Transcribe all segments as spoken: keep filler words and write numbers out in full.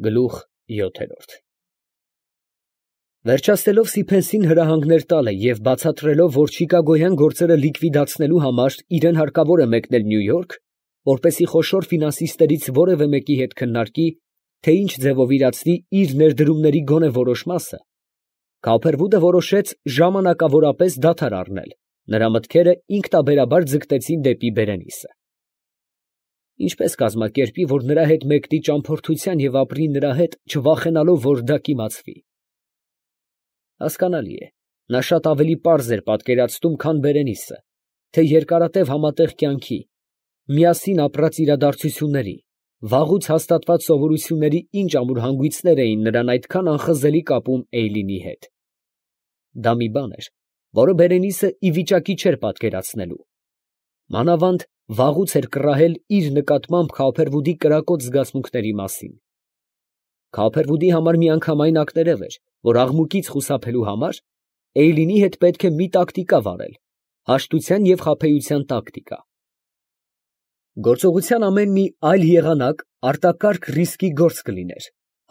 Գլուխ յոթերորդ Վերջացնելով Սիփենսին հրահանգներ տալը և բացատրելով, որ չիկագոյան գործերը լիկվիդացնելու համար իրան հարկավոր է մեկնել Նյու Յորք, որպեսզի խոշոր ֆինանսիստերից որևէ մեկի հետ քննարկի, թե ինչ ձևով իրացնի իր ներդրումների գոնե որոշ մասը, Քոփերվուդը որոշեց ժամանակավորապես դադար առնել, նրա մտքերը ինքնաբերաբար ձգտեցին դեպի Բերենիսը։ Ինչպես կազմակերպի, որ նրա հետ մեկնի ճամփորդության և ապրի նրա հետ, չվախենալով, որ դա կիմացվի։ Հասկանալի է, նա շատ ավելի պարզ էր պատկերացնում, քան Բերենիսը, թե երկարատև համատեղ կյանքի, միասին ապրած իրադարձությունների, վաղուց հաստատված սովորությունների ինչ ամուր հանգույցներ էին նրան այդքան անխզելի կապում Էյլինի հետ։ Դա մի բան էր, որը Բերենիսը ի վիճակի չէր պատկերացնելու։ Մանավանդ վաղուց էր կռահել իր նկատմամբ Քոփերվուդի կրակոտ զգացմունքների մասին։ Քոփերվուդի համար միանգամայն ակներև էր, որ աղմուկից խուսափելու համար Էյլինի հետ պետք է մի տակտիկա վարել, հաշտության և խաբեության տակտիկա։ Գործողության ամեն մի այլ եղանակ արտակարգ ռիսկի գործ կլիներ,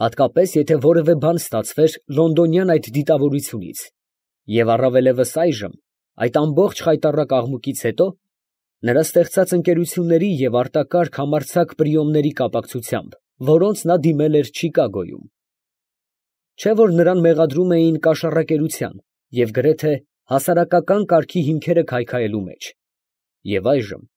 հատկապես եթե որևէ բան ստացվեր լոնդոնյան այդ դիտավորությունից, և առավելևս այժմ, այդ ամբողջ խայտառակ աղմուկից հետո, նրա ստեղծած ընկերությունների և արտակարգ համարձակ պրիոմների կապակցությամբ, որոնց նա դիմել էր Չիկագոյում։ Չէ՞ որ նրան մեղադրում էին կաշառակերության և գրեթե հասարակական կարգի հիմքերը քայքայելու մեջ, և այժմ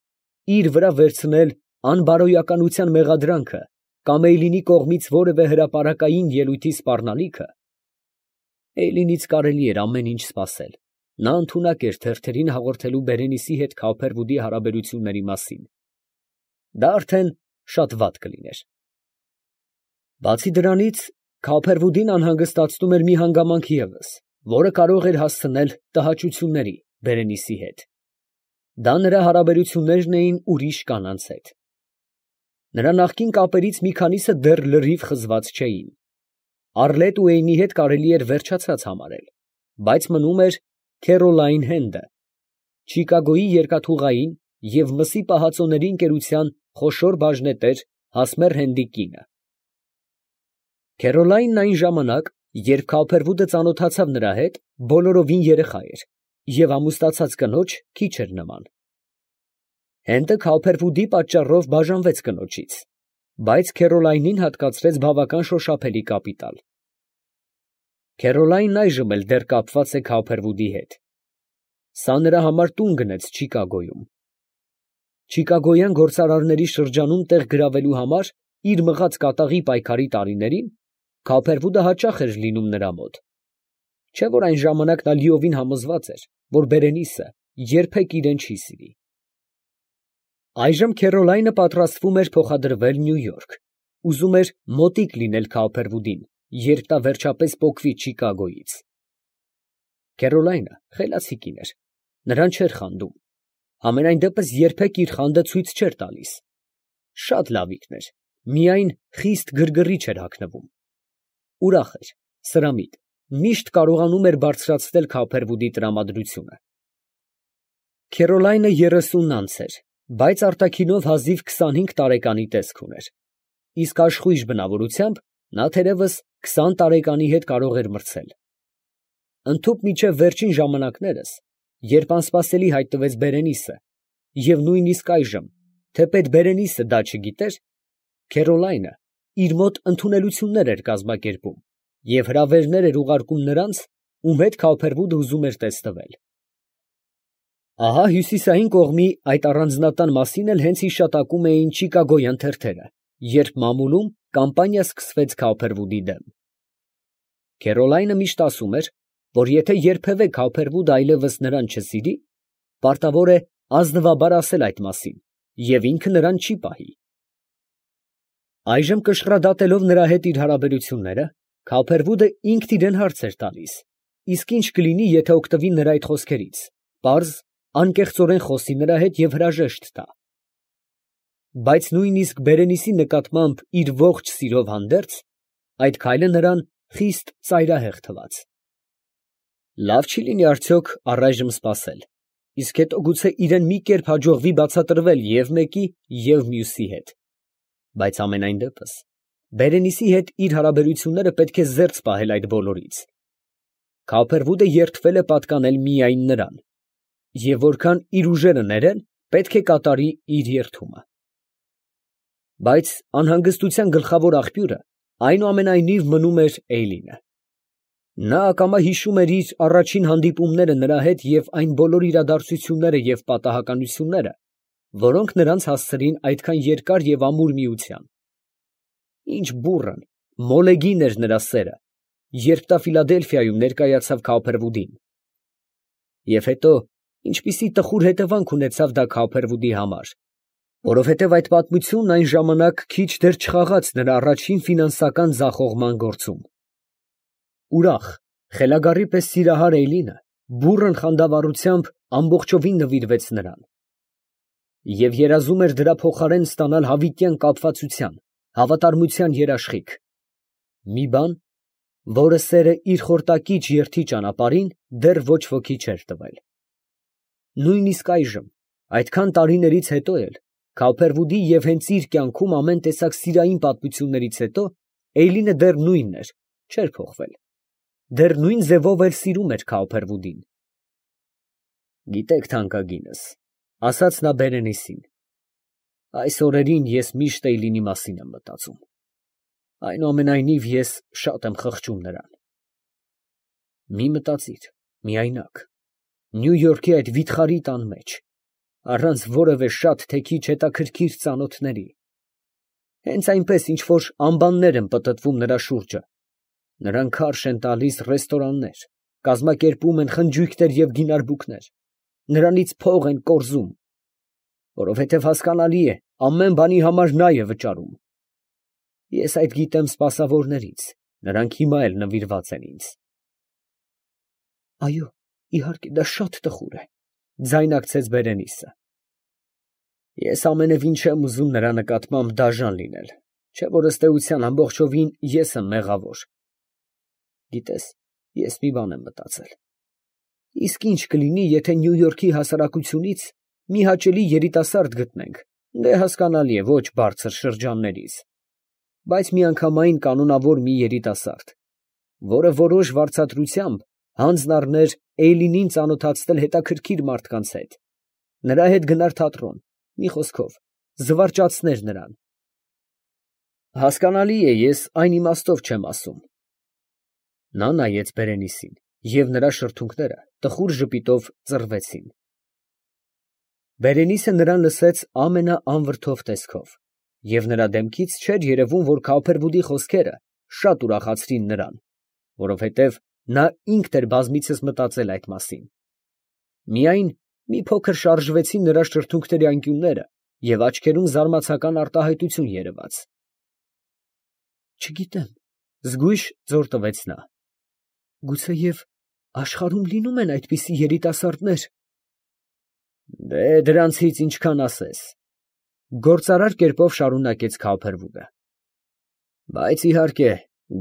իր վրա վերցնել անբարոյականության մեղադրանքը կամ Էյլինի կողմից որևէ հրապարակային ելույթի սպառնալիքը, Էյլինից կարելի էր ամեն ինչ սպասել, նա ընդունակ էր թերթերին հաղորդելու Բերենիսի հետ Քոփերվուդի հարաբերությունների մասին։ Դա արդեն շատ վատ կլիներ։ Բացի դրանից, Քոփերվուդին անհանգստացնում էր մի հանգամանք ևս, որը կարող էր հասցնել տհաճությունների Բերենիսի հետ։ Դա նրա հարաբերություններն էին ուրիշ կանանց հետ։ Նրա նախկին կապերից մի քանիսը դեռ լրիվ խզված չէին։ Առլետ Ուեյնի հետ կարելի էր վերջացած համարել, բայց մնում էր Քերոլայն Հենդը, Չիկագոյի երկաթուղային և մսի պահածոների ընկերության խոշոր բաժնետեր Հասմեր Հենդի կինը։ Քերոլայնն այն ժամանակ, երբ Քոփերվուդը ծանոթացավ նրա հետ, բոլորովին երեխա էր և ամուսնացած կնոջ քիչ էր նման։ Հենդը Քոփերվուդի պատճառով բաժանվեց կնոջից, բայց Քերոլայնին հատկացրեց բավական շոշափելի կապիտալ։ Քերոլայնն այժմ էլ դեռ կապված է Քոփերվուդի հետ։ Սա նրա համար տուն գնեց Չիկագոյում։ Չիկագոյան գործարարների շրջանում տեղ գրավելու համար իր մղած կատաղի պայքարի տարիներին Քոփերվուդը հաճախ էր լինում նրա մոտ։ Չէ՞ որ այն ժամանակ նա լիովին համոզված էր, որ Բերենիսը երբեք իրեն չի սիրի։ Այժմ Քերոլայնը պատրաստվում էր փոխադրվել Նյու Յորք, ուզում էր մոտիկ լինել Քոփերվուդին, երբ նա վերջապես պոկվի Չիկագոյից։ Քերոլայնը խելացի կին էր, նրան չէր խանդում, համենայն դեպս երբեք իր խանդը ցույց չէր տալիս։ Շատ լավիկն էր, միայն խիստ գրգռիչ էր հագնվում։ Ուրախ էր, սրամիտ, միշտ կարողանում էր բարձրացնել Քոփերվուդի տրամադրությունը։ Քերոլայնը երեսունն անց էր, բայց արտաքինով հազիվ քսանհինգ տարեկանի տեսք ուներ, իսկ աշխույժ բնավորությամբ նա թերևս քսան տարեկանի հետ կարող էր մրցել։ Ընդհուպ մինչև վերջին ժամանակներս, երբ անսպասելի հայտնվեց Բերենիսը, և նույնիսկ այժմ, թեպետ Բերենիսը դա չգիտեր, Քերոլայնը իր մոտ ընդունելություններ էր կազմակերպում և հրավերներ էր ուղարկում նրանց, ում հետ Քոփերվուդը ուզում էր տեսնվել։ Ահա հյուսիսային կողմի այդ առանձնատան մասին էլ հենց հիշատակում էին չիկագոյան թերթերը, երբ մամուլում կամպանիա սկսվեց Քոփերվուդի դեմ։ Քերոլայնը միշտ ասում էր, որ եթե երբևէ Քոփերվուդը այլևս նրան չսիրի, պարտավոր է ազնվաբար ասել այդ մասին, և ինքը նրան չի պահի։ Այժմ կշռադատելով նրա հետ իր հարաբերությունները, Քոփերվուդը ինքն իրան հարց էր տալիս, իսկ ինչ կլինի, եթե օգտվի նրա այդ խոսքերից, պարզ, անկեղծորեն խոսի նրա հետ և հրաժեշտ տա։ Բայց նույնիսկ Բերենիսի նկատմամբ իր ողջ սիրով հանդերձ, այդ քայլը նրան խիստ ծայրահեղ թվաց։ Լավ չի լինի արդյոք առայժմ սպասել, իսկ հետո գուցե իրան մի կերպ հաջողվի բացատրվել և մեկի, և մյուսի հետ։ Բայց համենայն դեպս Բերենիսի հետ իր հարաբերությունները պետք է զերծ պահել այդ բոլորից։ Քավոփերվուդը երդվել է պատկանել միայն նրան, և որքան իր ուժերը ներեն, պետք է կատարի իր երդումը։ Բայց անհանգստության գլխավոր աղբյուրը այնուամենայնիվ մնում էր Էյլինը։ Նա ակամա հիշում էր իր առաջին հանդիպումները նրա հետ և այն բոլոր իրադարձությունները և պատահականությունները, որոնք նրանց հասցրին այդքան երկար և ամուր միության։ Ինչ բուռն, մոլեգին էր նրա սերը, երբ նա Ֆիլադելֆիայում ներկայացավ Քավոփերվուդին։ Եվ հետո ինչպիսի տխուր հետևանք ունեցավ դա Քավոփերվուդի համար, որովհետև այդ պատմությունն այն ժամանակ քիչ դեռ չխաղաց նրա առաջին ֆինանսական ձախողման գործում։ Ուրախ, խելագարի պես սիրահար Էյլինը բուռն խանդավառությամբ ամբողջովին նվիրվեց նրան և երազում էր դրա փոխարեն ստանալ հավիտյան կապվածության, հավատարմության երաշխիք, մի բան, որը սերը իր խորտակիչ երդի ճանապարհին դեռ ոչ ոքի չէր տվել։ Նույնիսկ այժմ, այդքան տարիներից հետո էլ, Քավոփերվուդի և հենց իր կյանքում ամեն տեսակ սիրային պատմություններից հետո, Էյլինը դեռ նույնն էր, չէր փոխվել, դեռ նույն ձևով էլ սիրում էր Քավոփերվուդին։ Գիտեք, թանկագինս, ֊ ասաց նա Բերենիսին, ֊ այս օրերին ես միշտ Էյլինի մասին եմ մտածում, այնուամենայնիվ ես շատ եմ խղճում նրան։ Մի մտածիր, միայնակ, Նյու Յորքի այդ վիթխարի տան մեջ, առանց որևէ շատ թե քիչ հետաքրքիր ծանոթների, հենց այնպես, ինչ որ ամբաններ են պտտվում նրա շուրջը, նրան քարշ են տալիս ռեստորաններ, կազմակերպում են խնջույքներ և գինարբուքներ, նրանից փող են կորզում, որովհետև հասկանալի է, ամեն բանի համար նա է վճարում։ Ես այդ գիտեմ սպասավորներից, նրանք հիմա էլ նվիրված են ինձ։ Այո, իհարկե, դա շատ տխուր է, ֊ ձայնարկեց Բերենիսը։ Ես ամենևին չեմ ուզում նրա նկատմամբ դաժան լինել, չէ՞ որ ըստ էության ամբողջովին ես եմ մեղավոր։ Գիտես, ես մի բան եմ մտածել. իսկ ինչ կլինի, եթե Նյու Յորքի հասարակությունից մի հաճելի երիտասարդ գտնենք, դե հասկանալի է, ոչ բարձր շրջաններից, բայց միանգամայն կանոնավոր մի երիտասարդ, որը որոշ վարձատրությամբ հանձն առներ Էյլինին ծանոթացնել հետաքրքիր մարդկանց հետ, նրա հետ գնար թատրոն, մի խոսքով, զվարճացներ նրան։ Հասկանալի է, ես այն իմաստով չեմ ասում։ Նա նայեց Բերենիսին, և նրա շրթունքները տխուր ժպիտով ծռվեցին։ Բերենիսը նրան լսեց ամենաանվրդով տեսքով, և նրա դեմքից չէր երևում, որ Քավոփերվուդի խոսքերը շատ ուրախացրին նրան, որովհետև նա ինքն էր բազմիցս մտածել այդ մասին։ Միայն մի փոքր շարժվեցին նրա շրթունքների անկյունները և աչքերում զարմացական արտահայտություն երևաց։ Չգիտեմ, ֊ զգույշ ձոր տվեց նա, ֊ գուցեև աշխարհում լինում են այդպիսի երիտասարդներ։ Դե դրանցից ինչքան ասես, ֊ գործարար կերպով շարունակեց Քավոփերվուդը, բայց իհարկե,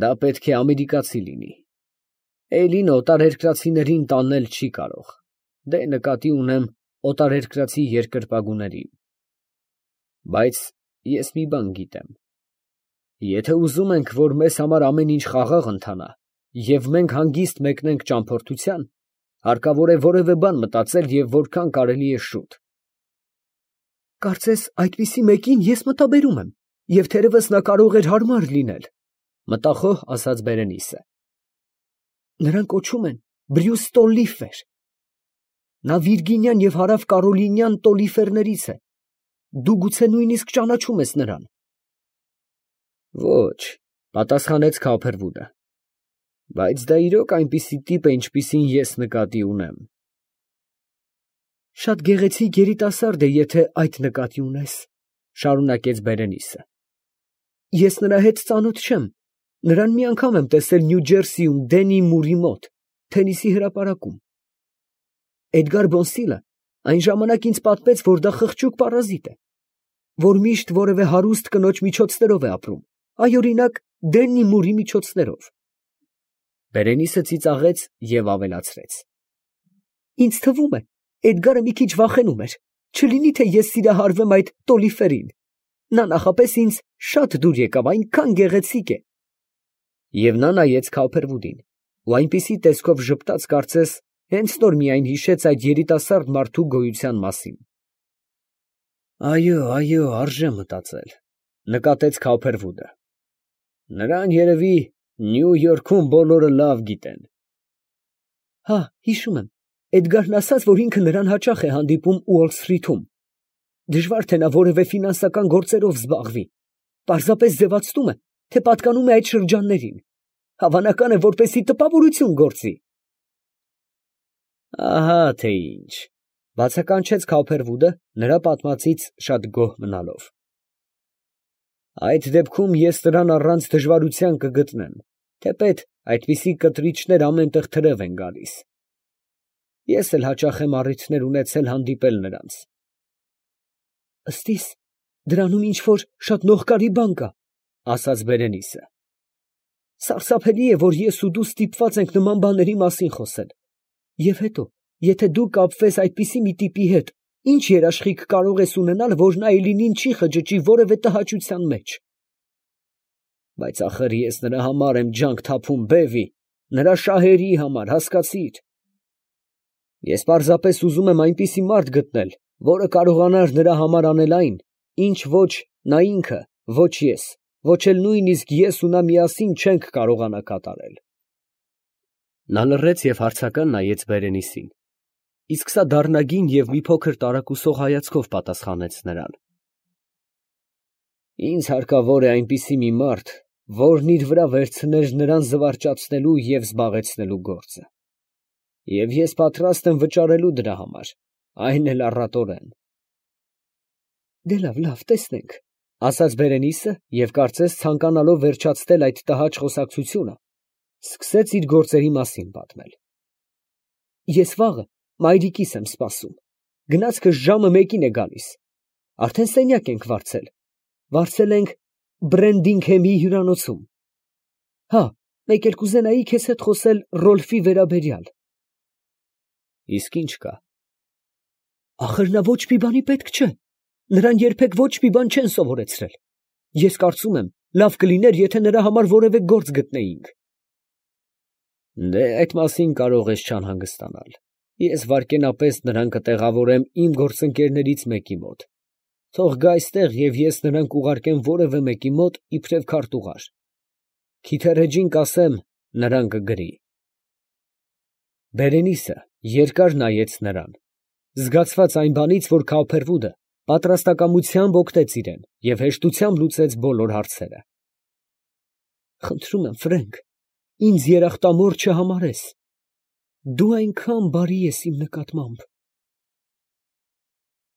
դա պետք է ամերիկացի լինի։ Էյլինը օտարերկրացիներին տանել չի կարող, դե նկատի ունեմ օտարերկրացի երկրպագուներին։ Բայց ես մի բան գիտեմ. եթե ուզում ենք, որ մեզ համար ամեն ինչ խաղաղ ընթանա, և մենք հանգիստ մեկնենք ճամփորդության, հարկավոր է որևէ բան մտածել և որքան կարելի է շուտ։ Կարծես այդպիսի մեկին ես մտաբերում եմ, և թերևս նա կարող էր հարմար լինել, ֊ մտախոհ ասաց Բերենիսը։ Նրան կոչում են Բրյուս Տոլլիֆեր։ Նա Վիրգինիան և Հարավ Կարոլինյան Տոլիֆերներից է։ Դու գուցե նույնիսկ ճանաչում ես նրան։ Ոչ, ֊ պատասխանեց Քավոփերվուդը, բայց դա իրոք այնպիսի տիպ է, ինչպիսին ես նկատի ունեմ։ Շատ գեղեցիկ երիտասարդ է, եթե այդ նկատի ունես, ֊ շարունակեց Բերենիսը։ Ես նրա հետ ծանոթ չեմ, նրան մի անգամ եմ տեսել Նյու Ջերսիում Դենի Մուրի մոտ, թենիսի հրապարակում։ Էդգար Բոնսիլը այն ժամանակ ինձ պատմեց, որ դա խղճուկ պարազիտ է, որ միշտ որևէ հարուստ կնոջ միջոցներով է ապրում, այ օրինակ Դենի Մուրի միջոցներով։ Բերենիսը ծիծաղեց և ավելացրեց. Ինձ թվում է, Էդգարը մի քիչ վախենում էր, չլինի թե ես սիրահարվեմ այդ Տոլիֆերին։ Նա նախապես ինձ շատ դուր եկավ, այնքան գեղեցիկ է։ Եվ նա նայեց Քալփերվուդին, ու այնպիսի տեսքով ժպտաց, կարծես հենց նոր միայն հիշեց այդ երիտասարդ մարդու գոյության մասին։ Այո, այո, արժե մտածել, նկատեց Քալփերվուդը։ Նրան երևի Նյու Յորքում բոլորը լավ գիտեն։ Հա, հիշում եմ, Էդգարն ասաց, որ ինքը նրան հաճախ է հանդիպում Ուոլ Սթրիթում։ Դժվար թե նա որևէ ֆինանսական գործերով զբաղվի, պարզապես ձևացնում է, թե պատկանում է այդ շրջաններին, հավանական է, որպեսզի տպավորություն գործի։ Ահա թե ինչ, բացականչեց Քալփերվուդը, նրա պատմածից շատ գոհ մնալով։ Այդ դեպքում ես նրան առանց դժվարության կգտնեմ, թեպետ այդպիսի կտրիչներ ամեն տեղ թրև են գալիս։ Ես էլ հաճախ եմ առիթներ ունեցել հանդիպել նրանց։ Ըստ իս, դրանում ինչ-որ շատ նողկարի բան կա, ասաց Բերենիսը։ Սարսափելի է, որ ես ու դու ստիպված ենք նման բաների մասին խոսել։ Եվ հետո, եթե դու կապվես այդպիսի մի տիպի հետ, ինչ երաշխիք կարող ես ունենալ, որ նա Էյլինին չի խճճի որևէ տհաճության մեջ։ Բայց ախր ես նրա համար եմ ջանք թափում, բեվի, նրա շահերի համար, հասկացի՞ր։ Ես պարզապես ուզում եմ այնպիսի մարդ գտնել, որը կարողանար նրա համար անել այն, ինչ ոչ նա ինքը, ոչ ես, ոչ էլ նույնիսկ ես ու նա միասին չենք կարողանա կատարել։ Նա լռեց և հարցական նայեց Բերենիսին, իսկ սա դառնագին և մի փոքր տարակուսող հայացքով պատասխանեց նրան։ Ինձ հարկավոր է այնպիսի մի մարդ, որն իր վրա վերցներ նրան զվարճացնելու և զբաղեցնելու գործը։ Եվ ես պատրաստ եմ վճարելու դրա համար, այն էլ առատորեն։ Դե լավ, լավ, տեսնենք, ասաց Բերենիսը և կարծես ցանկանալով վերջացնել այդ տհաճ խոսակցությունը, սկսեց իր գործերի մասին պատմել։ Ես վաղը մայրիկիս եմ սպասում, գնացքս ժամը մեկին է գալիս, արդեն սենյակ ենք վարձել, վարձել ենք Բրենդինգհեմի հյուրանոցում։ Հա, մեկ էլ կուզենայի քեզ հետ խոսել Ռոլֆի վերաբերյալ։ Իսկ ի՞նչ կա։ Ախր նա ոչ մի բանի պետք չէ, նրան երբեք ոչ մի բան չեն սովորեցրել։ Ես կարծում եմ, լավ կլիներ, եթե նրա համար որևէ գործ գտնեինք։ Դե այդ մասին կարող ես չանհանգստանալ, ես վայրկենապես նրան կտեղավորեմ իմ գործընկերներից մեկի մոտ, թող գա այստեղ և ես նրան կուղարկեմ որևէ մեկի մոտ իբրև քարտուղար, Քիթերեջին կասեմ, նրան կգրի։ Բերենիսը երկար նայեց նրան, զգացված այն բանից, որ Քալփերվուդը պատրաստակամությամբ օգնեց իրեն և հեշտությամբ լուծեց բոլոր հարցերը։ Խնդրում եմ, Ֆրենկ, ինձ երախտամոռ չհամարես, դու այնքան բարի ես իմ նկատմամբ։